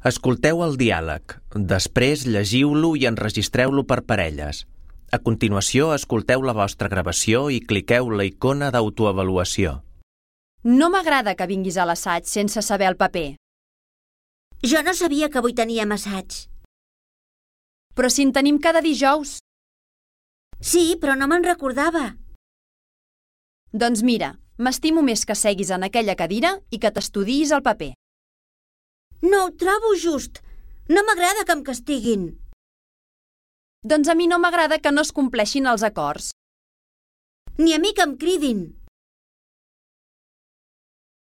Escolteu el diàleg. Després llegiu-lo i enregistreu-lo per parelles. A continuació, escolteu la vostra gravació i cliqueu la icona d'autoavaluació. No m'agrada que vinguis a l'assaig sense saber el paper. Jo no sabia que avui teníem assaig. Però si en tenim cada dijous. Sí, però no me'n recordava. Doncs mira, m'estimo més que seguis en aquella cadira i que t'estudiïs el paper. No ho trobo just. No m'agrada que em castiguin. Doncs a mi no m'agrada que no es compleixin els acords. Ni a mi que em cridin.